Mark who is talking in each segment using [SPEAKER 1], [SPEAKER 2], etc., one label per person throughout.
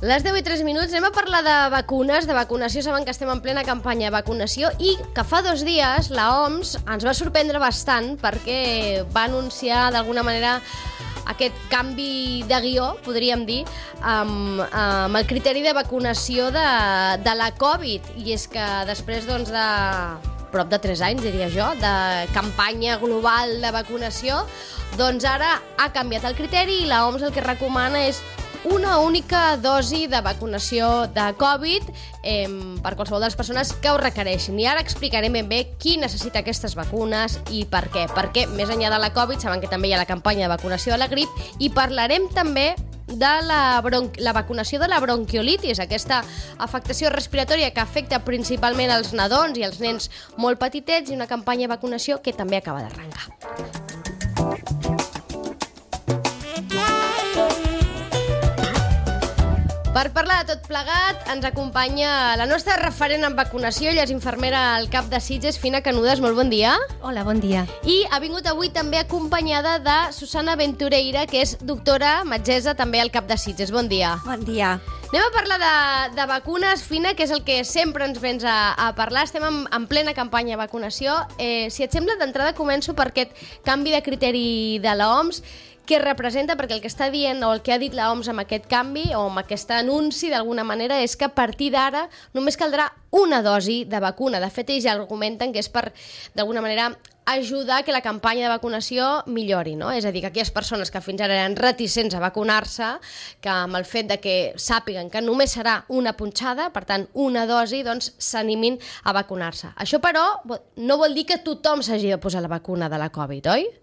[SPEAKER 1] Les 10 i 3 minuts anem a parlar de vacunes, de vacunació. Saben que estem en plena campanya de vacunació i que fa 2 dies la OMS ens va sorprendre bastant perquè va anunciar d'alguna manera aquest canvi de guió, podríem dir, amb el criteri de vacunació de la Covid. I és que després de prop de 3 anys, diria jo, de campanya global de vacunació, doncs ara ha canviat el criteri i la OMS el que recomana és una única dosi de vacunació de Covid per qualsevol de les persones que ho requereixin. I ara explicarem ben bé qui necessita aquestes vacunes i per què. Perquè més enllà de la Covid, saben que també hi ha la campanya de vacunació de la grip i parlarem també de la vacunació de la bronquiolitis, aquesta afectació respiratòria que afecta principalment els nadons i els nens molt petitets, i una campanya de vacunació que també acaba d'arrencar. Per parlar de tot plegat, ens acompanya la nostra referent en vacunació, ella és infermera al CAP de Sitges, Fina Canudes, molt bon dia.
[SPEAKER 2] Hola, bon dia.
[SPEAKER 1] I ha vingut avui també acompanyada de Susana Ventureira, que és doctora metgessa també al CAP de Sitges. Bon dia.
[SPEAKER 2] Bon dia.
[SPEAKER 1] Anem a parlar de vacunes, Fina, que és el que sempre ens vens a parlar. Estem en plena campanya de vacunació. Si et sembla, d'entrada començo per aquest canvi de criteri de l'OMS, què representa, perquè el que està dient o el que ha dit la OMS amb aquest canvi o amb aquest anunci d'alguna manera és que a partir d'ara només caldrà una dosi de vacuna. De fet, ells ja argumenten que és per, d'alguna manera, ajudar que la campanya de vacunació millori, no? És a dir, que aquelles persones que fins ara eren reticents a vacunar-se, que amb el fet de que sàpiguen que només serà una punxada, per tant, una dosi, doncs s'animin a vacunar-se. Això, però, no vol dir que tothom s'hagi de posar la vacuna de la Covid, oi?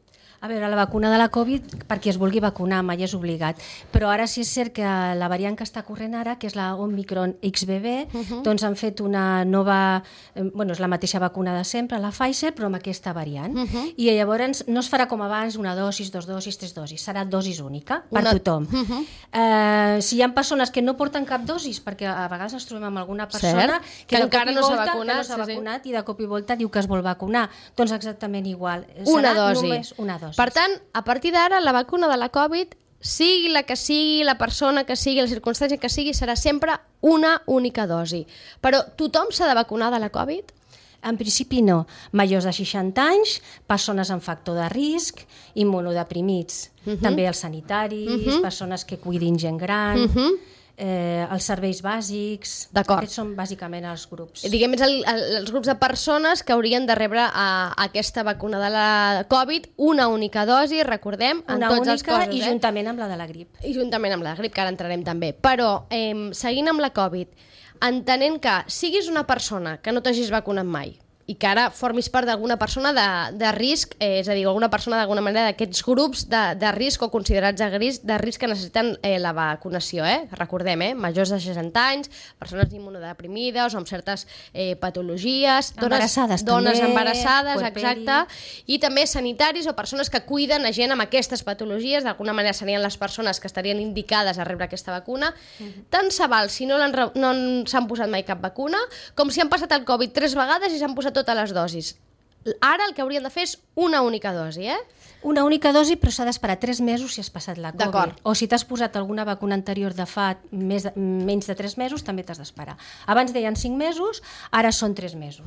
[SPEAKER 2] A veure, la vacuna de la Covid, per qui es vulgui vacunar, mai és obligat. Però ara sí és cert que la variant que està corrent ara, que és la Omicron XBB, doncs han fet una nova... Bueno, és la mateixa vacuna de sempre, la Pfizer, però amb aquesta variant. I llavors no es farà com abans, una dosis, 2 dosis, 3 dosis. Serà dosis única per tothom. Si hi ha persones que no porten cap dosis, perquè a vegades ens trobem amb alguna persona que encara no s'ha vacunat i de cop i volta diu que es vol vacunar, doncs exactament igual.
[SPEAKER 1] Una dosi.
[SPEAKER 2] Només una dosi.
[SPEAKER 1] Per tant, a partir d'ara, la vacuna de la Covid, sigui la que sigui, la persona que sigui, la circumstància que sigui, serà sempre una única dosi. Però tothom s'ha de vacunar de la Covid?
[SPEAKER 2] En principi no. Majors de 60 anys, persones amb factor de risc, immunodeprimits, també els sanitaris, persones que cuidin gent gran... els serveis bàsics.
[SPEAKER 1] D'acord.
[SPEAKER 2] Aquests són bàsicament els grups.
[SPEAKER 1] Diguem, els grups de persones que haurien de rebre aquesta vacuna de la Covid, una única dosi, recordem, en tots els casos.
[SPEAKER 2] I juntament amb la de la grip.
[SPEAKER 1] I juntament amb la grip, que ara entrarem també. Però, seguint amb la Covid, entenent que siguis una persona que no t'hagis vacunat mai, i que ara formis part d'alguna persona de risc, és a dir, alguna persona d'alguna manera d'aquests grups de risc o considerats de risc que necessiten la vacunació, recordem, majors de 60 anys, persones immunodeprimides o amb certes patologies, dones embarassades, exacte, i també sanitaris o persones que cuiden a gent amb aquestes patologies, d'alguna manera serien les persones que estarien indicades a rebre aquesta vacuna. Tant se val si no s'han posat mai cap vacuna, com si han passat el Covid 3 vegades i s'han posat totes les dosis. Ara el que haurien de fer és una única dosi,
[SPEAKER 2] Una única dosi, però s'ha d'esperar 3 mesos si has passat la Covid.
[SPEAKER 1] D'acord.
[SPEAKER 2] O si t'has posat alguna vacuna anterior de fa menys de 3 mesos, també t'has d'esperar. Abans deien 5 mesos, ara són 3 mesos.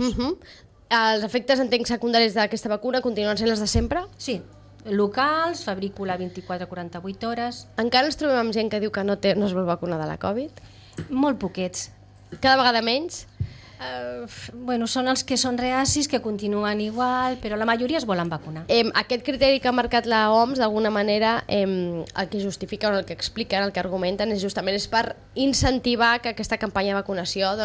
[SPEAKER 1] Els efectes, entenc, secundaris d'aquesta vacuna continuen sent els de sempre?
[SPEAKER 2] Sí. Locals, febrícula 24-48 hores...
[SPEAKER 1] Encara ens trobem amb gent que diu que no es vol vacunar de la Covid?
[SPEAKER 2] Molt poquets.
[SPEAKER 1] Cada vegada menys?
[SPEAKER 2] Bueno, són els que són reacis, que continuen igual, però la majoria es volen vacunar.
[SPEAKER 1] Aquest criteri que ha marcat la OMS, d'alguna manera, el que justifica o el que expliquen, el que argumenten, és justament per incentivar que aquesta campanya de vacunació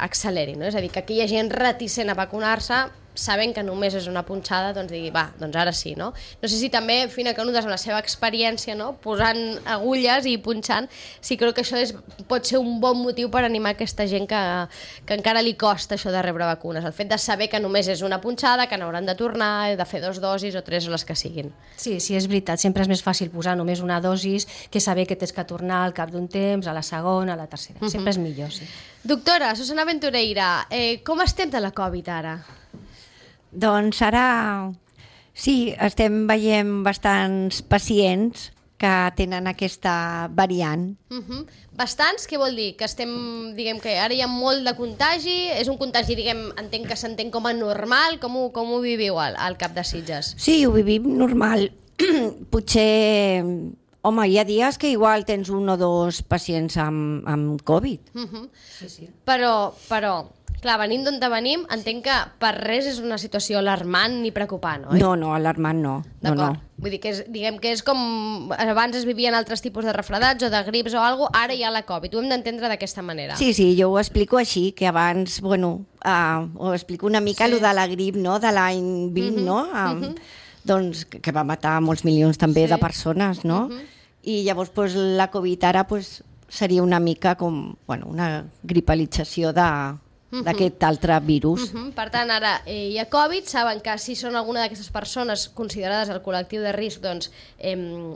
[SPEAKER 1] acceleri, no? És a dir, que aquella gent reticent a vacunar-se, sabent que només és una punxada, doncs digui, va, doncs ara sí, no? No sé si també, Fina Canudes, amb la seva experiència, no?, posant agulles i punxant, sí, crec que això pot ser un bon motiu per animar aquesta gent que encara li costa això de rebre vacunes. El fet de saber que només és una punxada, que n'hauran de tornar, de fer 2 dosis o 3 o les que siguin.
[SPEAKER 2] Sí, és veritat. Sempre és més fàcil posar només una dosis que saber que tens que tornar al cap d'un temps, a la segona, a la tercera. Sempre és millor, sí.
[SPEAKER 1] Doctora, Susana Ventureira, com estem de la Covid ara?
[SPEAKER 3] Doncs ara sí, estem veient bastants pacients que tenen aquesta variant.
[SPEAKER 1] Bastants, què vol dir? Que estem, diguem que ara hi ha molt de contagi, és un contagi, diguem, entenc que s'entén com a normal, com ho viviu al Cap de Sitges?
[SPEAKER 3] Sí, ho vivim normal. Potser, home, hi ha dies que igual tens 1 o 2 pacients amb Covid.
[SPEAKER 2] Sí.
[SPEAKER 1] Però, clar, venint d'on venim, entenc que per res és una situació alarmant ni preocupant, oi?
[SPEAKER 3] No, alarmant no.
[SPEAKER 1] D'acord.
[SPEAKER 3] No.
[SPEAKER 1] Vull dir que diguem que és com abans es vivien altres tipus de refredats o de grips o alguna cosa, ara hi ha la Covid. Ho hem d'entendre d'aquesta manera.
[SPEAKER 3] Sí, jo ho explico així, que abans, ho explico una mica, lo de la grip, no?, de l'any 20, no?, doncs, que va matar molts milions també de persones, no? I llavors la Covid ara seria una mica com una gripalització d'aquest altre virus.
[SPEAKER 1] Per tant, ara hi ha Covid, saben que si són alguna d'aquestes persones considerades al col·lectiu de risc, doncs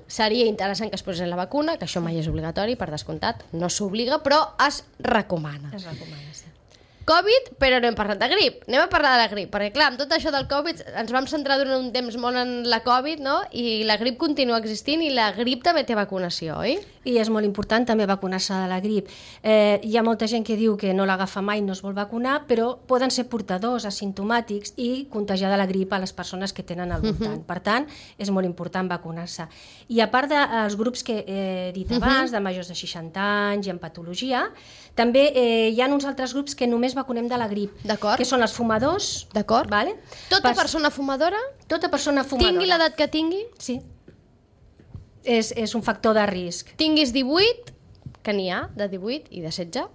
[SPEAKER 1] seria interessant que es posessin la vacuna, que això mai és obligatori, per descomptat, no s'obliga, però es recomana.
[SPEAKER 2] Es recomana, sí.
[SPEAKER 1] Covid, però no hem parlat de grip. Anem a parlar de la grip, perquè clar, amb tot això del Covid ens vam centrar durant un temps molt en la Covid, no? I la grip continua existint i la grip també té vacunació, oi?
[SPEAKER 2] I és molt important també vacunar-se de la grip. Hi ha molta gent que diu que no l'agafa mai, no es vol vacunar, però poden ser portadors asimptomàtics i contagiar de la grip a les persones que tenen al voltant. Per tant, és molt important vacunar-se. I a part dels grups que he dit abans, de majors de 60 anys i en patologia, també hi ha uns altres grups que només vacunem de la grip, que són els fumadors.
[SPEAKER 1] D'acord.
[SPEAKER 2] Vale?
[SPEAKER 1] Tota persona fumadora?
[SPEAKER 2] Tota persona fumadora.
[SPEAKER 1] Tingui l'edat que tingui?
[SPEAKER 2] Sí. És un factor de risc.
[SPEAKER 1] Tinguis 18, que n'hi ha, de 18 i de 16,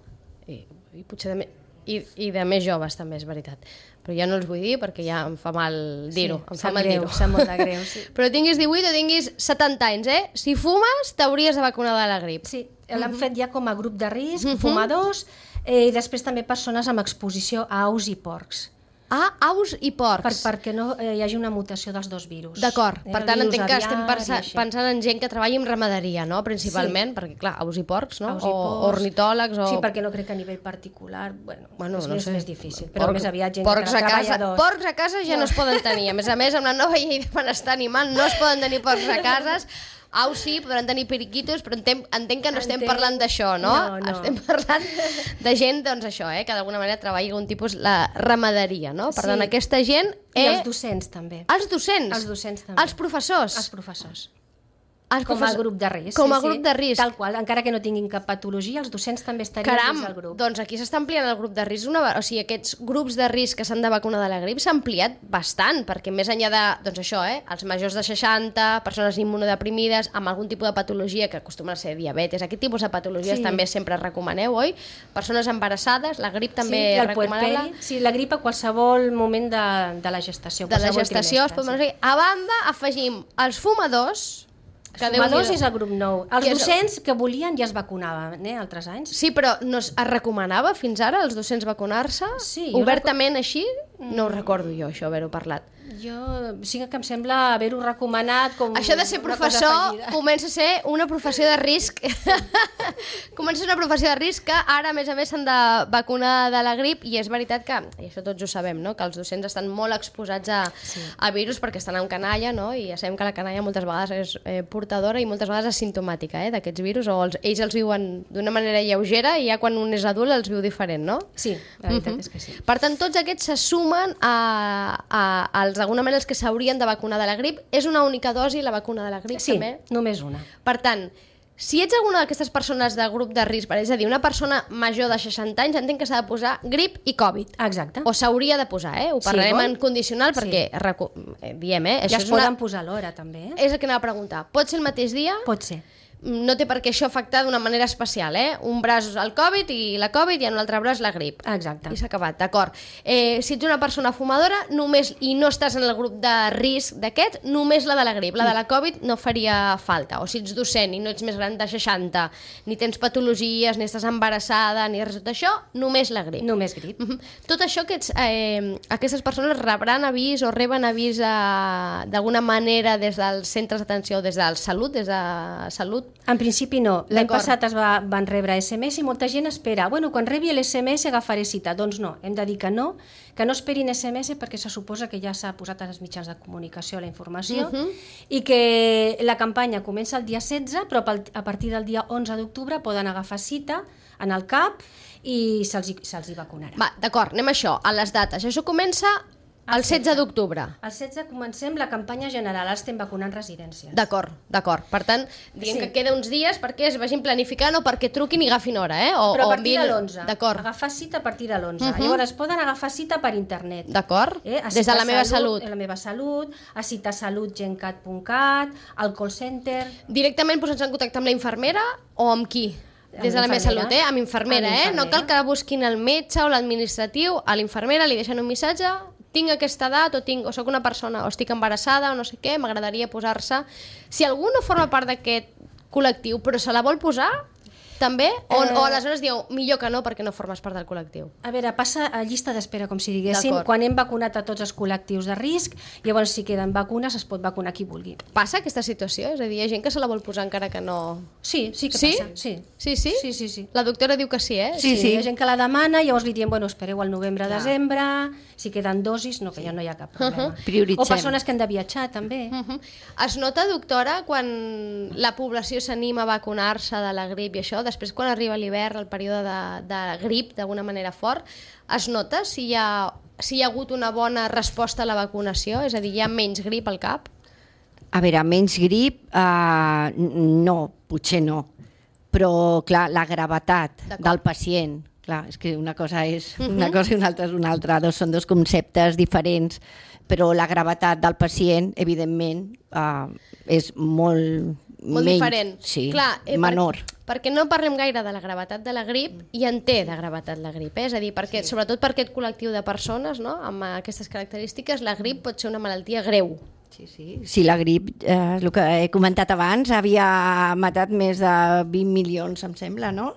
[SPEAKER 1] i potser i de més joves també, és veritat. Però ja no els vull dir perquè ja em fa mal dir-ho.
[SPEAKER 2] Sí, sap molt de greu. Sí.
[SPEAKER 1] Però tinguis 18 o tinguis 70 anys, si fumes t'hauries de vacunar de la grip.
[SPEAKER 2] Sí, l'han fet ja com a grup de risc, fumadors, i després també persones amb exposició a aus i porcs.
[SPEAKER 1] Aus i porcs.
[SPEAKER 2] Perquè no hi hagi una mutació dels dos virus.
[SPEAKER 1] D'acord, per tant entenc que estem pensant en gent que treballa en ramaderia, no? Principalment, perquè clar, aus i porcs, no? O ornitòlegs o...
[SPEAKER 2] Sí, perquè no crec que a nivell particular, és més difícil, però més aviat gent
[SPEAKER 1] que
[SPEAKER 2] treballadors.
[SPEAKER 1] Porcs a casa ja no es poden tenir, a més, amb la nova llei de benestar animal no es poden tenir porcs a cases. Aus sí, podran tenir periquitos, però entenc que no estem parlant d'això, no?
[SPEAKER 2] No.
[SPEAKER 1] Estem parlant de gent, doncs això, que d'alguna manera treballa algun tipus la ramaderia, no? Per tant, aquesta gent...
[SPEAKER 2] I els docents, també.
[SPEAKER 1] Els docents?
[SPEAKER 2] Els docents, també.
[SPEAKER 1] Els professors?
[SPEAKER 2] Els professors. Com a grup de risc.
[SPEAKER 1] Com a grup de risc.
[SPEAKER 2] Tal qual, encara que no tinguin cap patologia, els docents també estarien dins del grup.
[SPEAKER 1] Doncs aquí s'està ampliant el grup de risc, o sigui, aquests grups de risc que s'han de vacunar de la grip s'ha ampliat bastant, perquè més enllà de, doncs això, els majors de 60, persones immunodeprimides, amb algun tipus de patologia, que acostumen a ser diabetes, aquest tipus de patologies també sempre recomaneu, oi? Persones embarassades, la grip també recomanable.
[SPEAKER 2] Sí, la grip a qualsevol moment de la gestació.
[SPEAKER 1] De la gestació, a banda, afegim els fumadors.
[SPEAKER 2] Els fumadors és el grup nou. Els docents que volien ja es vacunaven, altres anys.
[SPEAKER 1] Sí, però es recomanava fins ara als docents vacunar-se?
[SPEAKER 2] Sí.
[SPEAKER 1] Obertament així? No ho recordo jo, això, haver-ho parlat.
[SPEAKER 2] Sí que em sembla haver-ho recomanat com...
[SPEAKER 1] Això de ser professor comença a ser una professió de risc. Comença a ser una professió de risc que ara, a més s'han de vacunar de la grip, i és veritat que, i això tots ho sabem, no? Que els docents estan molt exposats a virus perquè estan en canalla, no? I ja sabem que la canalla moltes vegades és portadora i moltes vegades asimptomàtica d'aquests virus, o ells els viuen d'una manera lleugera i ja quan un és adult els viu diferent, no?
[SPEAKER 2] Sí, la veritat és que sí.
[SPEAKER 1] Per tant, tots aquests se sumen als d'alguna manera els que s'haurien de vacunar de la grip. És una única dosi la vacuna de la grip, també?
[SPEAKER 2] Sí, només una.
[SPEAKER 1] Per tant, si ets alguna d'aquestes persones de grup de risc, és a dir, una persona major de 60 anys, entenc que s'ha de posar grip i Covid.
[SPEAKER 2] Exacte.
[SPEAKER 1] O s'hauria de posar, Ho parlarem en condicional perquè, diem,
[SPEAKER 2] ja es poden posar a l'hora, també.
[SPEAKER 1] És el que anava a preguntar. Pot ser el mateix dia?
[SPEAKER 2] Pot ser.
[SPEAKER 1] No té per què això afectar d'una manera especial, Un braç el Covid i la Covid i en un altre braç la grip.
[SPEAKER 2] Exacte.
[SPEAKER 1] I s'ha acabat, d'acord. Si ets una persona fumadora i no estàs en el grup de risc d'aquest, només la de la grip. La de la Covid no faria falta. O si ets docent i no ets més gran de 60, ni tens patologies, ni estàs embarassada, ni res de tot això, només la grip.
[SPEAKER 2] Només grip.
[SPEAKER 1] Tot això aquestes persones rebran avís o reben avís d'alguna manera des dels centres d'atenció, des de Salut,
[SPEAKER 2] En principi no. L'any
[SPEAKER 1] D'acord.
[SPEAKER 2] passat van rebre SMS i molta gent espera. Bueno, quan rebi l'SMS agafaré cita. Doncs no, hem de dir que no esperin SMS perquè se suposa que ja s'ha posat als mitjans de comunicació la informació i que la campanya comença el dia 16, però a partir del dia 11 d'octubre poden agafar cita en el CAP i se'ls hi vacunarà.
[SPEAKER 1] Va, d'acord, anem a això, a les dates. Això comença el 16 d'octubre.
[SPEAKER 2] El 16 comencem la campanya general, ara estem vacunant residències.
[SPEAKER 1] D'acord. Per tant, diguem que queda uns dies perquè es vagin planificant o perquè truquin i agafin hora,
[SPEAKER 2] Però a partir de l'11.
[SPEAKER 1] D'acord.
[SPEAKER 2] Agafar cita a partir de l'11. Llavors poden agafar cita per internet.
[SPEAKER 1] D'acord. Des de la meva salut.
[SPEAKER 2] A la meva salut, a citasalutgencat.cat, al call center...
[SPEAKER 1] Directament posar-se en contacte amb la infermera o amb qui? Des de la meva salut, amb infermera, No cal que busquin el metge o l'administratiu, a l'infermera li deixen un missatge, tinc aquesta edat o soc una persona o estic embarassada o no sé què, m'agradaria posar-se. Si algú no forma part d'aquest col·lectiu però se la vol posar, també? O aleshores dieu, millor que no perquè no formes part del col·lectiu?
[SPEAKER 2] A veure, passa a llista d'espera, com si diguéssim,
[SPEAKER 1] D'acord.
[SPEAKER 2] quan hem vacunat a tots els col·lectius de risc, llavors si queden vacunes es pot vacunar qui vulgui.
[SPEAKER 1] Passa aquesta situació? És a dir, hi ha gent que se la vol posar encara que no...
[SPEAKER 2] Sí que
[SPEAKER 1] Sí?
[SPEAKER 2] passa. Sí.
[SPEAKER 1] Sí? La doctora diu que sí,
[SPEAKER 3] Sí.
[SPEAKER 2] Hi ha gent que la demana, llavors li diem, bueno, espereu al novembre-desembre, si queden dosis, no, que ja no hi ha cap problema.
[SPEAKER 3] Prioritzem.
[SPEAKER 2] O persones que han de viatjar, també.
[SPEAKER 1] Es nota, doctora, quan la població s'anima a vacunar-se de la grip i això, després quan arriba l'hivern, el període de grip, d'alguna manera fort, es nota si hi ha hagut una bona resposta a la vacunació? És a dir, hi ha menys grip al cap?
[SPEAKER 3] A veure, menys grip, no, potser no. Però, clar, la gravetat del pacient, clar, és que una cosa és una cosa i una altra és una altra, són dos conceptes diferents, però la gravetat del pacient, evidentment, és molt
[SPEAKER 1] diferent.
[SPEAKER 3] Sí,
[SPEAKER 1] clar,
[SPEAKER 3] menor.
[SPEAKER 1] Perquè no parlem gaire de la gravetat de la grip i en té de gravetat la grip, És a dir, perquè, sobretot per aquest col·lectiu de persones, amb aquestes característiques, la grip pot ser una malaltia greu.
[SPEAKER 3] Sí, la grip, el que he comentat abans, havia matat més de 20 milions, em sembla, no?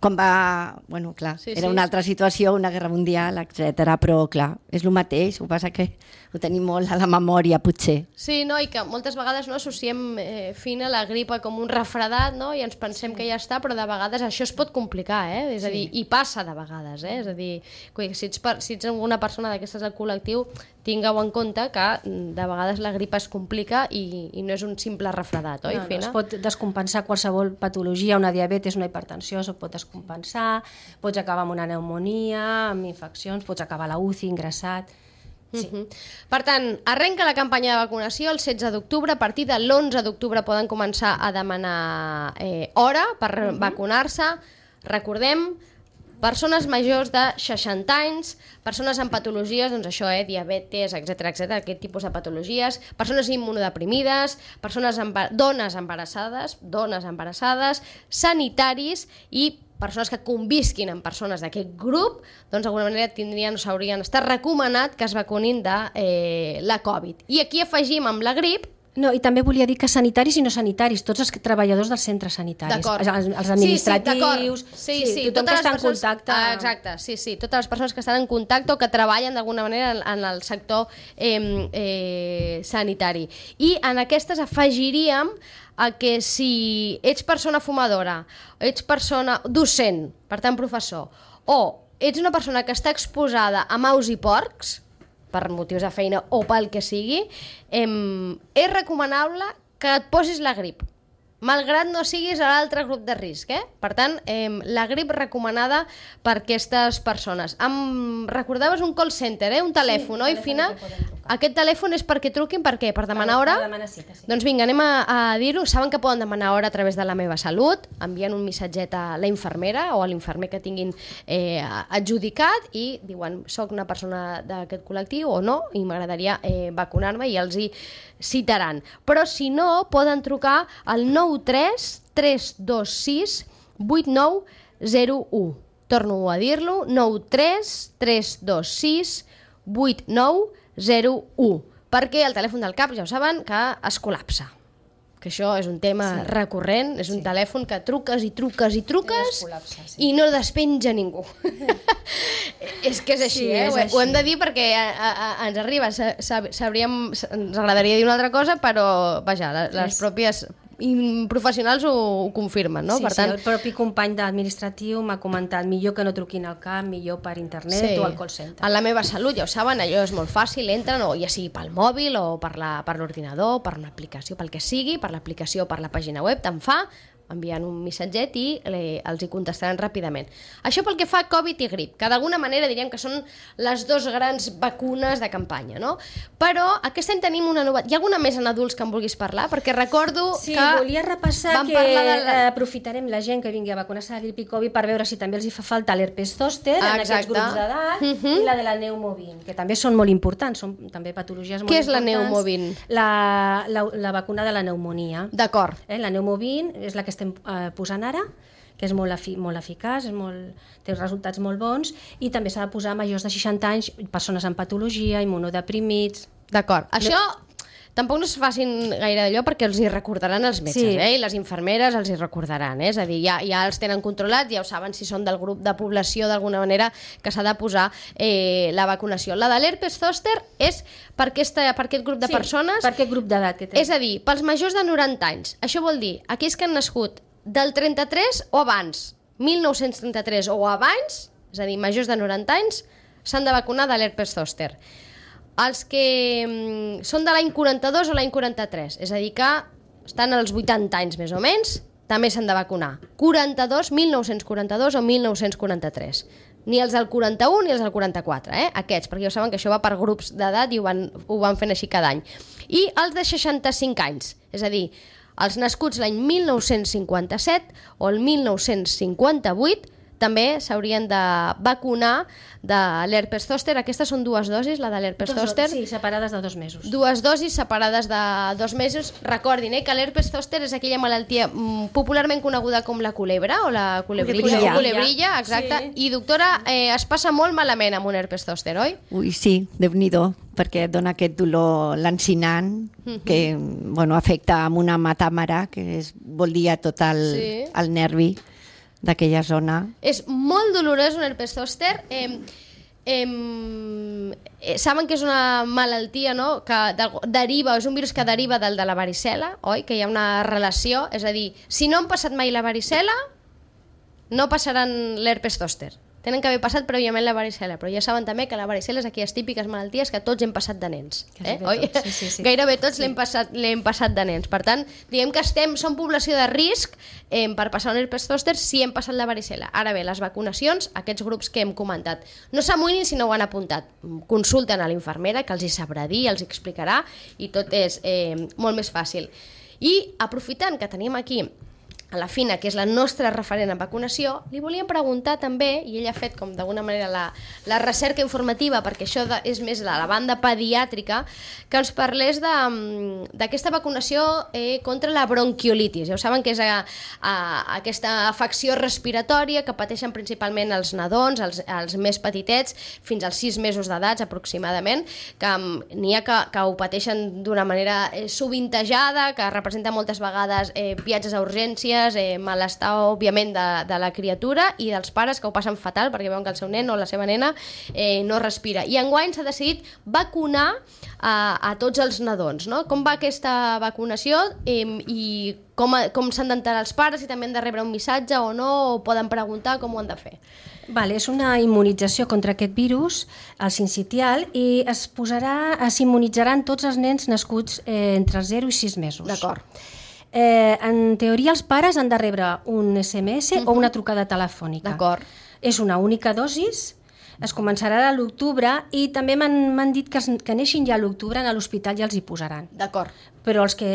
[SPEAKER 3] Quan va... Bueno, clar, era una altra situació, una guerra mundial, etc. Però, clar, és el mateix, ho passa que ho tenim molt a la memòria, potser.
[SPEAKER 1] Sí, no, i que moltes vegades associem fina la gripa com un refredat, i ens pensem que ja està, però de vegades això es pot complicar, És a dir, i passa de vegades, És a dir, si ets una persona d'aquestes del col·lectiu, tingueu en compte que de vegades la gripa es complica i no és un simple refredat, oi, Fina?
[SPEAKER 2] Es pot descompensar qualsevol patologia, una diabetes, una hipertensió, es pot descompensar, pots acabar amb una pneumònia, amb infeccions, pots acabar a la UCI, ingressat... Sí.
[SPEAKER 1] Per tant, arrenca la campanya de vacunació el 16 d'octubre, a partir de l'11 d'octubre poden començar a demanar hora per vacunar-se. Recordem, persones majors de 60 anys, persones amb patologies, doncs això, diabetes, etc, aquest tipus de patologies, persones immunodeprimides, dones embarassades, sanitaris i persones que convisquin amb persones d'aquest grup, doncs d'alguna manera s'haurien estat recomanat que es vacunin de la Covid. I aquí afegim amb la grip.
[SPEAKER 2] No, i també volia dir que sanitaris i no sanitaris, tots els treballadors dels centres sanitaris, els administratius, tothom que està en contacte.
[SPEAKER 1] Exacte, sí, totes les persones que estan en contacte o que treballen d'alguna manera en el sector sanitari. I en aquestes afegiríem que si ets persona fumadora, ets persona docent, per tant professor, o ets una persona que està exposada a maus i porcs, per motius de feina o pel que sigui, és recomanable que et posis la grip, malgrat no siguis a l'altre grup de risc. Per tant, la grip recomanada per aquestes persones. Em recordaves un call center, un telèfon, oi, Fina? Aquest telèfon és perquè truquin, per què? Per demanar hora?
[SPEAKER 2] Per demanar cita, sí.
[SPEAKER 1] Doncs vinga, anem a dir-ho. Saben que poden demanar hora a través de La Meva Salut, envien un missatget a la infermera o a l'infermer que tinguin adjudicat i diuen, soc una persona d'aquest col·lectiu o no, i m'agradaria vacunar-me, i els hi citaran. Però si no, poden trucar al 93 326 8901. Torno a dir-lo, 93 326 8901, perquè el telèfon del CAP ja ho saben que es col·lapsa, que això és un tema recurrent, és un telèfon que truques i truques i truques i no despenja ningú. És que és així, ho hem de dir perquè ens arriba, ens agradaria dir una altra cosa, però vaja, les pròpies professionals ho confirmen, no?
[SPEAKER 2] Sí,
[SPEAKER 1] Per tant,
[SPEAKER 2] el propi company d'administratiu m'ha comentat millor que no truquin al CAP, millor per internet o al call center.
[SPEAKER 1] En La meva salut, ja ho saben, allò és molt fàcil, entren, o ja sigui pel mòbil o per l'ordinador, per una aplicació, pel que sigui, per l'aplicació o per la pàgina web, te'n fa, enviant un missatget i els hi contestaran ràpidament. Això pel que fa a Covid i grip, que d'alguna manera diríem que són les dues grans vacunes de campanya, no? Però aquest any tenim una nova... Hi ha alguna més en adults que em vulguis parlar? Perquè recordo
[SPEAKER 2] que...
[SPEAKER 1] Sí,
[SPEAKER 2] volia repassar que aprofitarem la gent que vingui a vacunar-se de grip i Covid per veure si també els hi fa falta l'herpes zòster en aquests grups d'edat i la de la pneumovin, que també són molt importants, són també patologies molt importants.
[SPEAKER 1] Què és la pneumovin?
[SPEAKER 2] La vacuna de la pneumonia.
[SPEAKER 1] D'acord.
[SPEAKER 2] La pneumovin és la que estem posant ara, que és molt eficaç, té resultats molt bons, i també s'ha de posar a majors de 60 anys, persones amb patologia, immunodeprimits...
[SPEAKER 1] D'acord. Això tampoc no es facin gaire d'allò perquè els hi recordaran els metges, i les infermeres els hi recordaran, és a dir, ja els tenen controlats, ja ho saben si són del grup de població d'alguna manera que s'ha de posar la vacunació. La de l'herpes zòster és per aquest grup de persones...
[SPEAKER 2] per aquest grup d'edat que té.
[SPEAKER 1] És a dir, pels majors de 90 anys. Això vol dir, aquells que han nascut del 33 o abans, 1933 o abans, és a dir, majors de 90 anys, s'han de vacunar de l'herpes zòster. Els que són de l'any 42 o l'any 43, és a dir, que estan als 80 anys més o menys, també s'han de vacunar. 1942 o 1943. Ni els del 41 ni els del 44, aquests, perquè ja saben que això va per grups d'edat i ho van fent així cada any. I els de 65 anys, és a dir, els nascuts l'any 1957 o el 1958 també s'haurien de vacunar de l'herpes zòster. Aquestes són dues dosis, la de l'herpes zòster.
[SPEAKER 2] Sí, separades de 2 mesos.
[SPEAKER 1] 2 dosis separades de 2 mesos. Recordin que l'herpes zòster és aquella malaltia popularment coneguda com la culebra o la culebrilla, exacte. Sí. I doctora, es passa molt malament amb un herpes zòster, oi?
[SPEAKER 3] Ui, sí, Déu-n'hi-do, perquè dona aquest dolor lancinant que afecta amb una matàmara, que vol dir tot el nervi d'aquella zona.
[SPEAKER 1] És molt dolorós un herpes zòster. Saben que és una malaltia, no? Que deriva, és un virus que deriva del de la varicel·la, oi? Que hi ha una relació, és a dir, si no han passat mai la varicel·la, no passaran l'herpes zòster. Tenen que haver passat prèviament la varicel·la, però ja saben també que la varicel·la és aquelles típiques malalties que tots hem passat de nens. Oi? Sí. Gairebé tots l'hem passat de nens. Per tant, diguem que som població de risc per passar un herpes zòster si hem passat la varicel·la. Ara bé, les vacunacions, aquests grups que hem comentat, no s'amoïnin si no ho han apuntat. Consulten a l'infermera, que els hi sabrà dir, els hi explicarà, i tot és molt més fàcil. I aprofitant que tenim aquí a la Fina, que és la nostra referent en vacunació, li volíem preguntar també, i ella ha fet com d'alguna manera la recerca informativa, perquè això és més la banda pediàtrica, que ens parlés d'aquesta vacunació contra la bronquiolitis. Ja ho saben que és aquesta afecció respiratòria que pateixen principalment els nadons, els més petitets, fins als 6 mesos d'edat aproximadament, que n'hi ha que ho pateixen d'una manera sovintejada, que representa moltes vegades viatges a urgències, malestar, òbviament, de la criatura i dels pares que ho passen fatal perquè veuen que el seu nen o la seva nena no respira. I enguany s'ha decidit vacunar a tots els nadons, no? Com va aquesta vacunació i com s'han d'enterar els pares, si també han de rebre un missatge o no, o poden preguntar com ho han de fer?
[SPEAKER 2] És una immunització contra aquest virus, el sincitial, i s'immunitzaran tots els nens nascuts entre 0 i 6 mesos.
[SPEAKER 1] D'acord.
[SPEAKER 2] En teoria els pares han de rebre un SMS o una trucada telefònica.
[SPEAKER 1] D'acord.
[SPEAKER 2] És una única dosis, es començarà a l'octubre i també m'han dit que neixin ja a l'octubre a l'hospital ja els hi posaran.
[SPEAKER 1] D'acord.
[SPEAKER 2] Però els que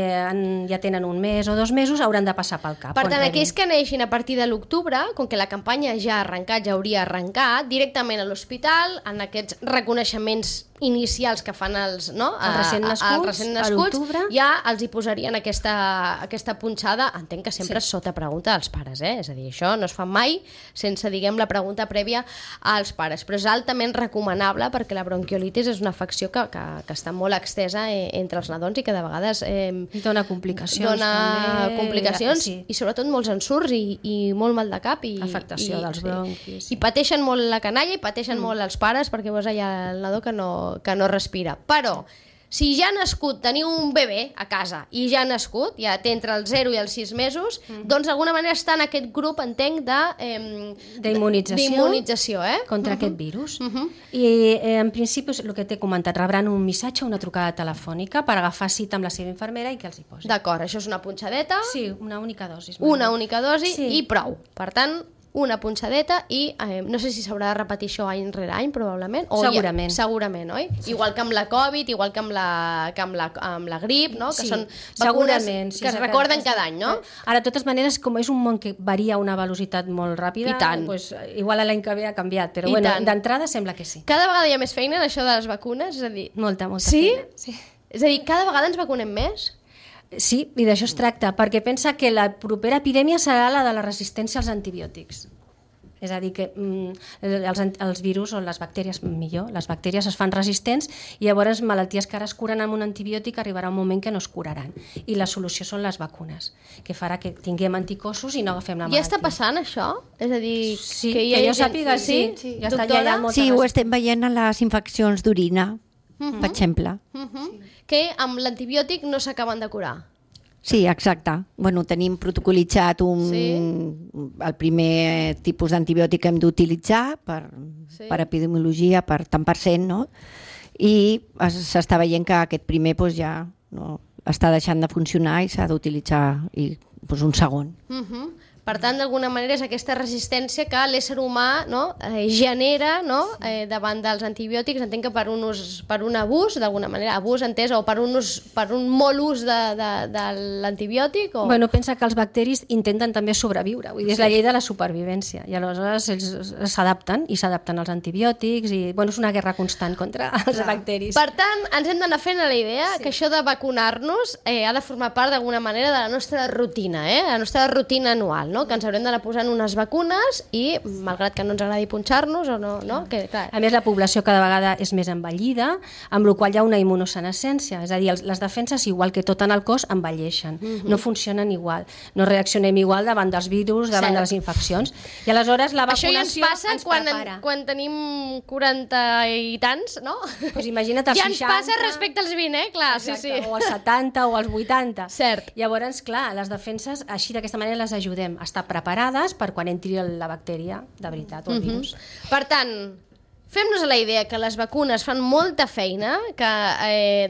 [SPEAKER 2] ja tenen 1 mes o 2 mesos hauran de passar pel CAP.
[SPEAKER 1] Per tant, aquells que neixin a partir de l'octubre, com que la campanya ja ha arrencat, ja hauria arrencat, directament a l'hospital, en aquests reconeixements inicials que fan els recents nascuts, ja els hi posarien aquesta punxada, entenc que sempre sota pregunta dels pares, és a dir, això no es fa mai sense, diguem, la pregunta prèvia als pares, però és altament recomanable perquè la bronquiolitis és una afecció que està molt extesa entre els nadons i que de vegades
[SPEAKER 2] dona complicacions
[SPEAKER 1] i sobretot molts ensurts i molt mal de cap i
[SPEAKER 2] afectació dels bronquis
[SPEAKER 1] i pateixen molt la canalla i pateixen molt els pares perquè veus allà el nadó que no respira. Però si ja ha nascut, teniu un bebè a casa i ja ha nascut, ja té entre els 0 i els 6 mesos, doncs d'alguna manera està en aquest grup, entenc, d'immunització
[SPEAKER 2] contra aquest virus. I en principi, el que t'he comentat, rebran un missatge o una trucada telefònica per agafar cita amb la seva infermera i que els hi posi.
[SPEAKER 1] D'acord, això és una punxadeta.
[SPEAKER 2] Sí, una única dosi.
[SPEAKER 1] Una única dosi i prou. Per tant, una punxadeta i no sé si s'haurà de repetir això any rere any, probablement.
[SPEAKER 2] Segurament.
[SPEAKER 1] Segurament, oi? Sí. Igual que amb la Covid, igual que amb la grip, no? Que són vacunes que es recorden cada any, no?
[SPEAKER 2] Ara, de totes maneres, com és un món que varia a una velocitat molt ràpida, doncs, igual l'any que ve ha canviat, però bueno, d'entrada sembla que sí.
[SPEAKER 1] Cada vegada hi ha més feina en això de les vacunes? És a dir...
[SPEAKER 2] Molta feina. Sí?
[SPEAKER 1] És a dir, cada vegada ens vacunem més?
[SPEAKER 2] Sí, i d'això es tracta, perquè pensa que la propera epidèmia serà la de la resistència als antibiòtics. És a dir, que els virus o les bactèries, millor, les bactèries es fan resistents i llavors malalties que ara es curen amb un antibiòtic arribarà un moment que no es curaran. I la solució són les vacunes, que farà que tinguem anticossos i no agafem la malaltia.
[SPEAKER 1] Ja està passant això? És a dir,
[SPEAKER 2] que jo sàpiga, sí.
[SPEAKER 3] Sí, ho estem veient a les infeccions d'orina, per exemple.
[SPEAKER 1] Que amb l'antibiòtic no s'acaben de curar.
[SPEAKER 3] Sí, exacte. Bueno, tenim protocolitzat el primer tipus d'antibiòtic que hem d'utilitzar per epidemiologia, tant per cent, no? I s'està veient que aquest primer ja no, està deixant de funcionar i s'ha d'utilitzar un segon.
[SPEAKER 1] Per tant, d'alguna manera és aquesta resistència que l'ésser humà genera davant dels antibiòtics. Entenc que per un abús, d'alguna manera, abús entès, o per un molt ús de l'antibiòtic?
[SPEAKER 2] Bueno, pensa que els bacteris intenten també sobreviure, vull dir, és la llei de la supervivència, i aleshores ells s'adapten als antibiòtics, i bueno, és una guerra constant contra els bacteris.
[SPEAKER 1] Per tant, ens hem d'anar fent a la idea que això de vacunar-nos ha de formar part d'alguna manera de la nostra rutina, la nostra rutina anual, que ens haurem d'anar posant unes vacunes i, malgrat que no ens agradi punxar-nos o no, que clar.
[SPEAKER 2] A més, la població cada vegada és més envellida, amb la qual hi ha una immunosenescència, és a dir, les defenses, igual que tot en el cos, envelleixen, no funcionen igual, no reaccionem igual davant dels virus, davant de les infeccions, i aleshores la vacunació ens prepara.
[SPEAKER 1] Quan tenim 40 i tants, no?
[SPEAKER 2] Pues imagina't els 60...
[SPEAKER 1] Ja ens passa respecte als 20, clar,
[SPEAKER 2] exacte, o als 70 o als 80.
[SPEAKER 1] Cert.
[SPEAKER 2] Llavors, clar, les defenses, així d'aquesta manera les ajudem estar preparades per quan entri la bactèria de veritat o el virus.
[SPEAKER 1] Per tant, fem-nos a la idea que les vacunes fan molta feina, que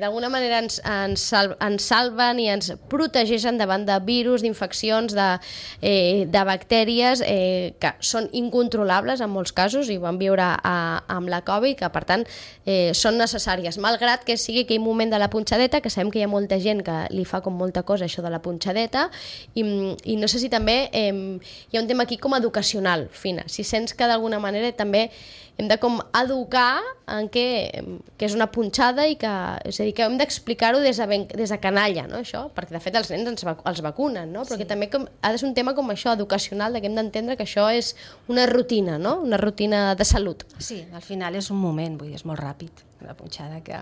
[SPEAKER 1] d'alguna manera ens salven i ens protegeixen davant de virus, d'infeccions, de bactèries que són incontrolables en molts casos, i ho vam viure amb la Covid, que per tant són necessàries, malgrat que sigui aquell moment de la punxadeta, que sabem que hi ha molta gent que li fa com molta cosa això de la punxadeta, i no sé si també hi ha un tema aquí com educacional, Fina, si sents que d'alguna manera també hem de com educar en que és una punxada, i que, és a dir, que hem d'explicar-ho des de canalla, no, això? Perquè de fet els nens els vacunen, no? Però que també ha de ser un tema com això, educacional, que hem d'entendre que això és una rutina, no? Una rutina de salut.
[SPEAKER 2] Sí, al final és un moment, vull dir, és molt ràpid, la punxada que...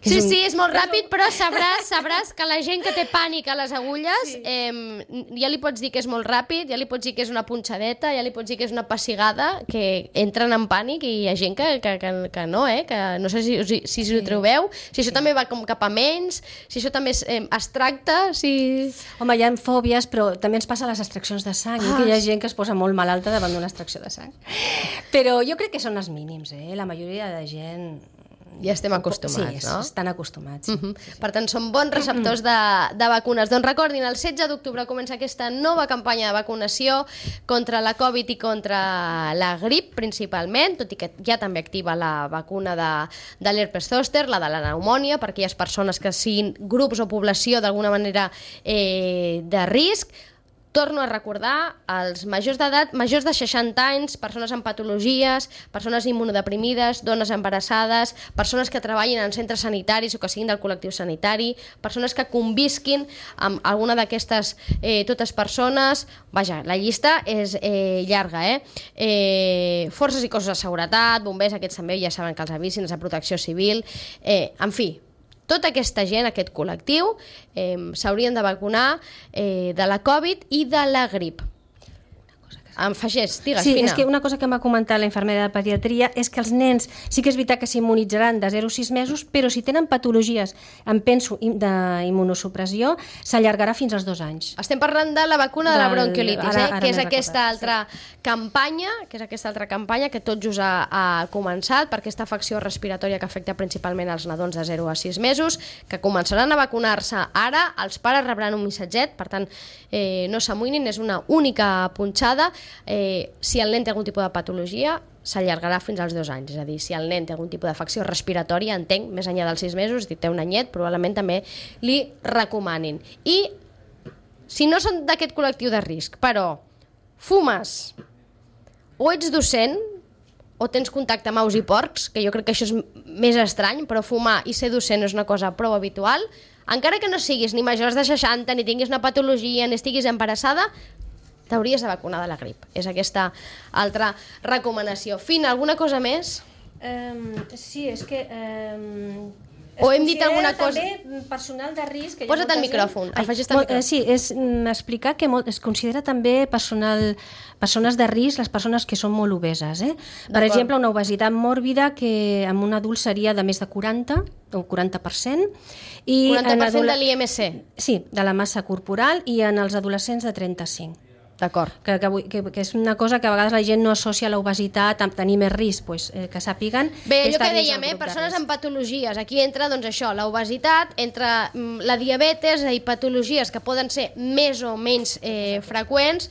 [SPEAKER 1] Sí, és molt ràpid, però sabràs que la gent que té pànic a les agulles, ja li pots dir que és molt ràpid, ja li pots dir que és una punxadeta, ja li pots dir que és una pessigada, que entren en pànic, i hi ha gent que no, que no sé si ho trobeu, si això també va com cap a menys, si això també es tracta, si...
[SPEAKER 2] Home, hi ha fòbies, però també ens passa a les extraccions de sang, que hi ha gent que es posa molt malalta davant d'una extracció de sang. Però jo crec que són els mínims, la majoria de gent...
[SPEAKER 1] Ja estem acostumats, no?
[SPEAKER 2] Sí, estan acostumats.
[SPEAKER 1] Per tant, són bons receptors de vacunes. Doncs recordin, el 16 d'octubre comença aquesta nova campanya de vacunació contra la Covid i contra la grip, principalment, tot i que ja també activa la vacuna de l'herpes zòster, la de la pneumònia, per aquelles persones que siguin grups o població d'alguna manera de risc. Torno a recordar, els majors d'edat, majors de 60 anys, persones amb patologies, persones immunodeprimides, dones embarassades, persones que treballin en centres sanitaris o que siguin del col·lectiu sanitari, persones que convisquin amb alguna d'aquestes totes persones. Vaja, la llista és llarga, forces i cossos de seguretat, bombers, aquests també ja saben que els avisin, els de protecció civil, en fi, tota aquesta gent, aquest col·lectiu, s'haurien de vacunar de la Covid i de la grip.
[SPEAKER 2] Una cosa que
[SPEAKER 1] Em fagés, digues,
[SPEAKER 2] Sí,
[SPEAKER 1] Fina.
[SPEAKER 2] és que una cosa que m'ha comentat la infermera de pediatria és que els nens sí que és veritat que s'immunitzaran de 0 a 6 mesos, però si tenen patologies, em penso, d'immunosupressió, s'allargarà fins als 2 anys.
[SPEAKER 1] Estem parlant de la vacuna de la bronquiolitis,
[SPEAKER 2] ara
[SPEAKER 1] que és
[SPEAKER 2] m'he
[SPEAKER 1] aquesta
[SPEAKER 2] recordat,
[SPEAKER 1] altra campanya que tot just ha començat per aquesta afecció respiratòria que afecta principalment els nadons de 0 a 6 mesos, que començaran a vacunar-se ara, els pares rebran un missatget, per tant, no s'amoïnin, és una única punxada. Si el nen té algun tipus de patologia, s'allargarà fins als 2 anys. És a dir, si el nen té algun tipus d'afecció respiratòria, entenc, més enllà dels 6 mesos, té un anyet, probablement també li recomanin. I si no són d'aquest col·lectiu de risc, però fumes o ets docent o tens contacte amb aus i porcs, que jo crec que això és més estrany, però fumar i ser docent és una cosa prou habitual, encara que no siguis ni majors de 60, ni tinguis una patologia, ni estiguis embarassada, t'hauries de vacunar de la grip. És aquesta altra recomanació. Fina, alguna cosa més?
[SPEAKER 2] Sí, és que...
[SPEAKER 1] O hem dit alguna cosa?
[SPEAKER 2] També personal de risc...
[SPEAKER 1] Posa't el micròfon, afegeix el micròfon.
[SPEAKER 2] Sí, és explicar que es considera també persones de risc les persones que són molt obeses. Per exemple, una obesitat mòrbida que en un adult seria de més de 40 o 40%.
[SPEAKER 1] 40% de l'IMC?
[SPEAKER 2] Sí, de la massa corporal, i en els adolescents de 35%.
[SPEAKER 1] D'acord.
[SPEAKER 2] Que és una cosa que a vegades la gent no associa l'obesitat amb tenir més risc, pues, que sàpiguen...
[SPEAKER 1] Bé, allò que dèiem, persones amb patologies. Aquí entra, doncs això, l'obesitat, entra la diabetes i patologies que poden ser més o menys freqüents.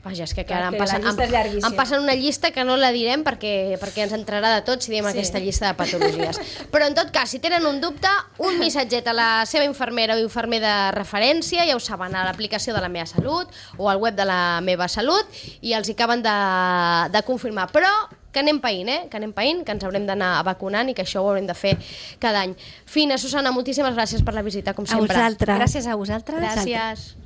[SPEAKER 1] Vaja, és que ara em passen una llista que no la direm perquè ens entrarà de tot si diem aquesta llista de patologies. Però en tot cas, si tenen un dubte, un missatget a la seva infermera o infermer de referència, ja ho saben, a l'aplicació de La Meva Salut o al web de La Meva Salut, i els hi acaben de confirmar. Però que anem païnt, que ens haurem d'anar vacunant i que això ho haurem de fer cada any. Fina, Susana, moltíssimes gràcies per la visita, com sempre.
[SPEAKER 3] A vosaltres.
[SPEAKER 2] Gràcies a vosaltres.
[SPEAKER 1] Gràcies.